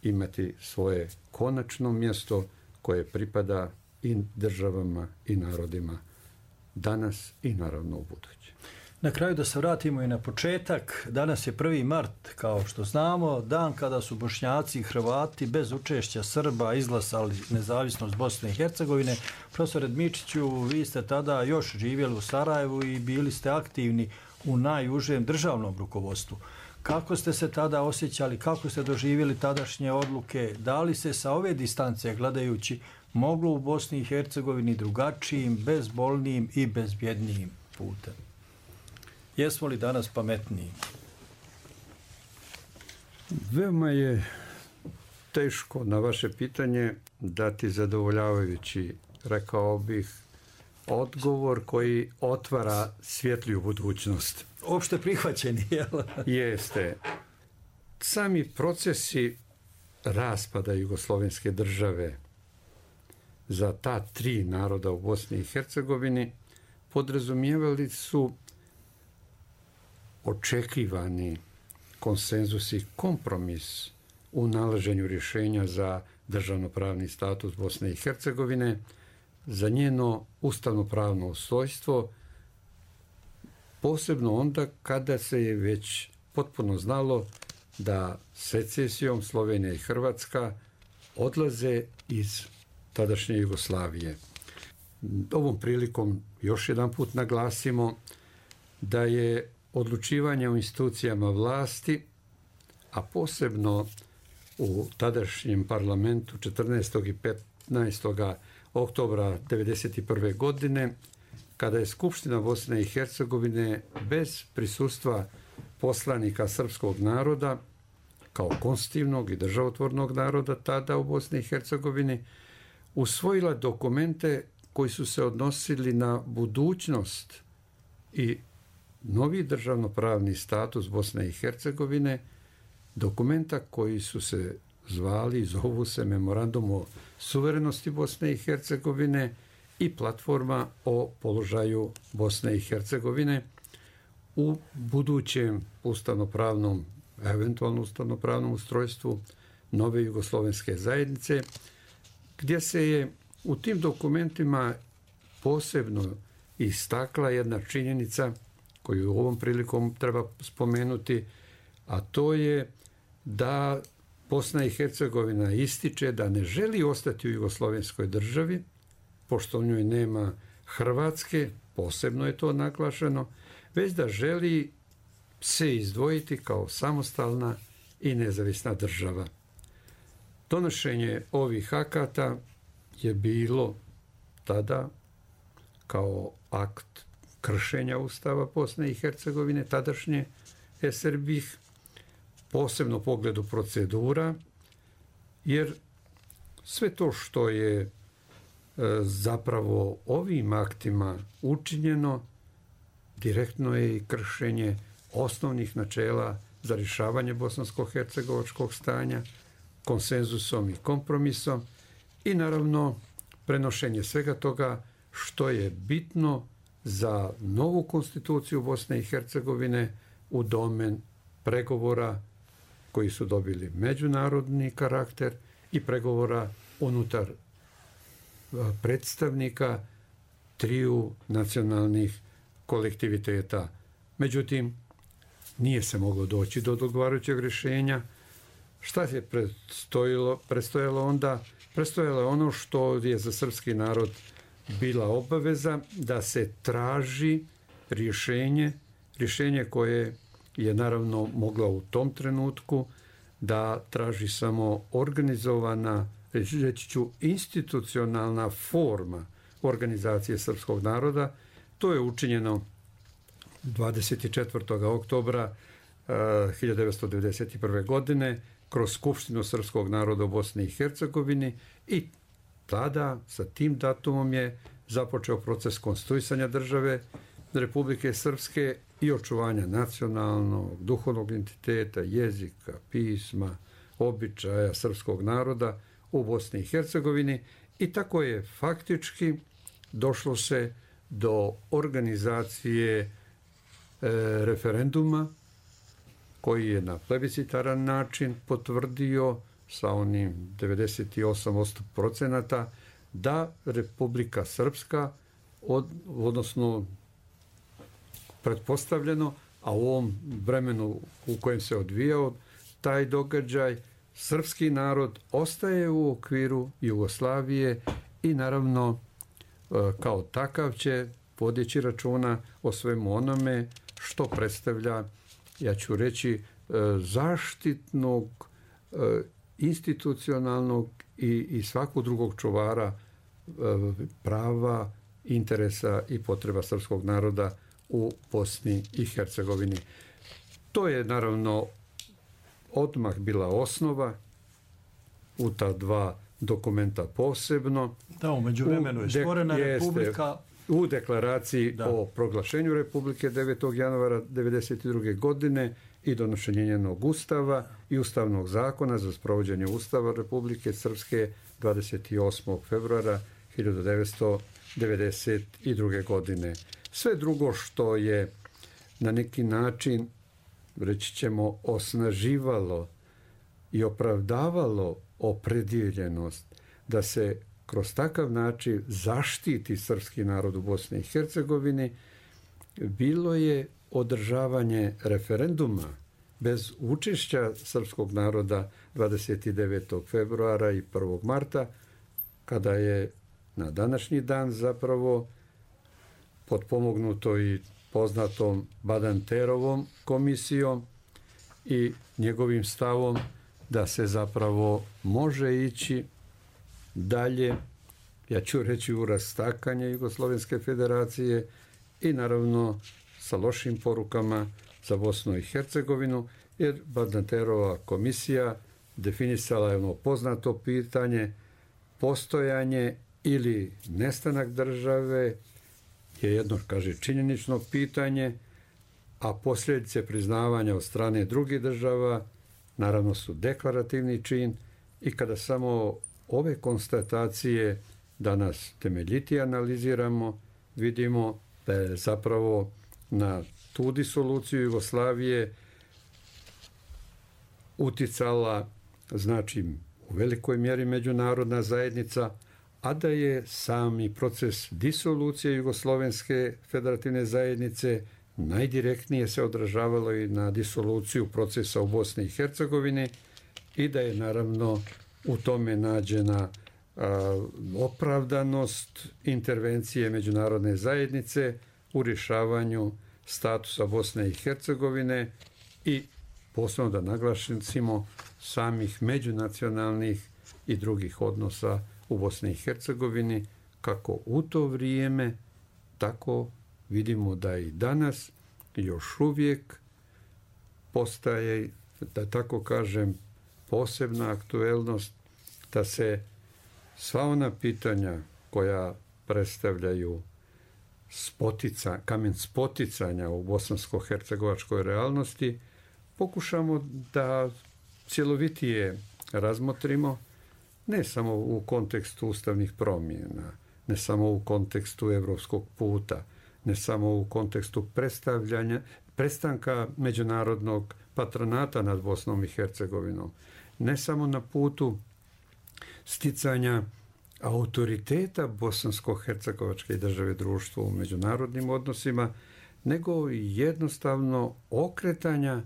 imati svoje konačno mjesto koje pripada i državama i narodima danas i naravno u buduće. Na kraju da se vratimo i na početak. Danas je 1. mart, kao što znamo, dan kada su Bošnjaci i Hrvati bez učešća Srba izglasali nezavisnost Bosne i Hercegovine. Profesore Dmičiću, vi ste tada još živjeli u Sarajevu i bili ste aktivni u najužem državnom rukovodstvu. Kako ste se tada osjećali, kako ste doživjeli tadašnje odluke, da li se sa ove distance gledajući moglo u Bosni i Hercegovini drugačijim, bezbolnijim i bezbjednijim putem? Jesmo li danas pametniji? Veoma je teško na vaše pitanje dati zadovoljavajući, rekao bih, odgovor koji otvara svjetliju budućnost. Opšte prihvaćeni, jel? Jeste. Sami procesi raspada jugoslovenske države za ta 3 naroda u Bosni i Hercegovini podrazumijevali su očekivani konsenzus i kompromis u nalaženju rješenja za državnopravni status Bosne i Hercegovine, za njeno ustavnopravno ustojstvo, posebno onda kada se je već potpuno znalo da secesijom Slovenija i Hrvatska odlaze iz tadašnje Jugoslavije. Ovom prilikom još jedan put naglasimo da je odlučivanje u institucijama vlasti, a posebno u tadašnjem parlamentu 14. i 15. oktobra 1991. godine, kada je Skupština Bosne i Hercegovine bez prisustva poslanika srpskog naroda, kao konstitutivnog i državotvornog naroda tada u Bosni i Hercegovini, usvojila dokumente koji su se odnosili na budućnost i novi državnopravni status Bosne i Hercegovine, dokumenta koji su se zvali, zovu se Memorandum o suverenosti Bosne i Hercegovine i platforma o položaju Bosne i Hercegovine u budućem ustavnopravnom, eventualno ustavnopravnom ustrojstvu nove jugoslovenske zajednice, gdje se je u tim dokumentima posebno istakla jedna činjenica koju ovom prilikom treba spomenuti, a to je da Bosna i Hercegovina ističe da ne želi ostati u jugoslovenskoj državi, pošto u njoj nema Hrvatske, posebno je to naglašeno, već da želi se izdvojiti kao samostalna i nezavisna država. Donošenje ovih akata je bilo tada kao akt kršenja Ustava Bosne i Hercegovine, tadašnje SRBih, posebno u pogledu procedura, jer sve to što je zapravo ovim aktima učinjeno, direktno je i kršenje osnovnih načela za rješavanje bosansko-hercegovačkog stanja, konsenzusom i kompromisom i naravno prenošenje svega toga što je bitno za novu konstituciju Bosne i Hercegovine u domen pregovora koji su dobili međunarodni karakter i pregovora unutar predstavnika triju nacionalnih kolektiviteta. Međutim, nije se moglo doći do odgovarajućeg rješenja. Šta je predstojalo onda? Predstojalo je ono što je za srpski narod bila obaveza da se traži rješenje koje je naravno mogla u tom trenutku da traži samo organizovana, reći ću, institucionalna forma organizacije srpskog naroda. To je učinjeno 24. oktobra 1991. godine kroz Skupštinu srpskog naroda u Bosni i Hercegovini i tada sa tim datumom je započeo proces konstituisanja države Republike Srpske i očuvanja nacionalnog, duhovnog identiteta, jezika, pisma, običaja srpskog naroda u Bosni i Hercegovini i tako je faktički došlo se do organizacije referenduma koji je na plebiscitaran način potvrdio sa onim 98% da Republika Srpska, odnosno pretpostavljeno, a u ovom vremenu u kojem se odvijao taj događaj, srpski narod ostaje u okviru Jugoslavije i naravno kao takav će vodeći računa o svemu onome što predstavlja, ja ću reći, zaštitnog, institucionalnog i svakog drugog čuvara prava, interesa i potreba srpskog naroda u Bosni i Hercegovini. To je naravno odmah bila osnova u ta dva dokumenta posebno. Da, u međuvremenu je stvorena Republika. U deklaraciji o proglašenju Republike 9. januara 1992. godine i donošenje njenog ustava i ustavnog zakona za sprovođenje Ustava Republike Srpske 28. februara 1992. godine. Sve drugo što je na neki način, reći ćemo, osnaživalo i opravdavalo opredjeljenost da se kroz takav način zaštiti srpski narod u Bosni i Hercegovini, bilo je održavanje referenduma bez učešća srpskog naroda 29. februara i 1. marta, kada je na današnji dan zapravo potpomognuto i poznatom Badanterovom komisijom i njegovim stavom da se zapravo može ići dalje, ja ću reći, u rastakanje Jugoslovenske federacije i naravno sa lošim porukama za Bosnu i Hercegovinu, jer Badanterova komisija definisala je ono poznato pitanje: postojanje ili nestanak države je jedno, kaže, činjenično pitanje, a posljedice priznavanja od strane drugih država naravno su deklarativni čin, i kada samo ove konstatacije danas temeljitije analiziramo, vidimo da je zapravo na tu disoluciju Jugoslavije uticala, znači, u velikoj mjeri međunarodna zajednica, a da je sami proces disolucije Jugoslovenske federativne zajednice najdirektnije se odražavalo i na disoluciju procesa u Bosni i Hercegovini, i da je naravno u tome nađena opravdanost intervencije međunarodne zajednice u rješavanju statusa Bosne i Hercegovine i, posebno da naglasimo, samih međunacionalnih i drugih odnosa u Bosni i Hercegovini, kako u to vrijeme, tako vidimo da i danas još uvijek postaje, da tako kažem, posebna aktuelnost da se sva ona pitanja koja predstavljaju kamen spoticanja u bosansko-hercegovačkoj realnosti pokušamo da cjelovitije razmotrimo, ne samo u kontekstu ustavnih promjena, ne samo u kontekstu evropskog puta, ne samo u kontekstu prestanka međunarodnog patronata nad Bosnom i Hercegovinom, ne samo na putu sticanja autoriteta bosansko-hercegovačke države društva u međunarodnim odnosima, nego i jednostavno okretanja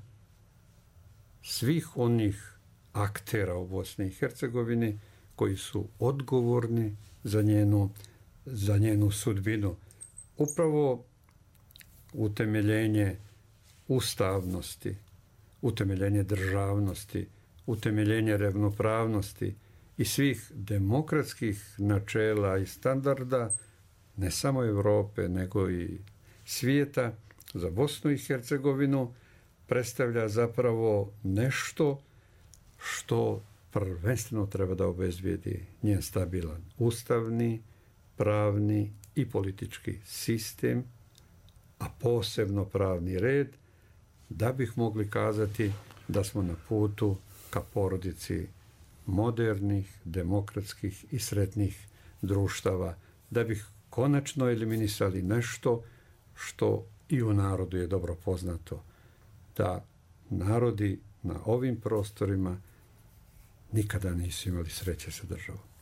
svih onih aktera u Bosni i Hercegovini koji su odgovorni za njenu sudbinu. Upravo utemeljenje ustavnosti, utemeljenje državnosti, utemeljenje ravnopravnosti i svih demokratskih načela i standarda, ne samo Europe, nego i svijeta, za Bosnu i Hercegovinu predstavlja zapravo nešto što prvenstveno treba da obezbijedi njen stabilan ustavni, pravni i politički sistem, a posebno pravni red, da bih mogli kazati da smo na putu ka porodici modernih, demokratskih i sretnih društava, da bih konačno eliminisali nešto što i u narodu je dobro poznato, da narodi na ovim prostorima nikada nisu imali sreće sa državom.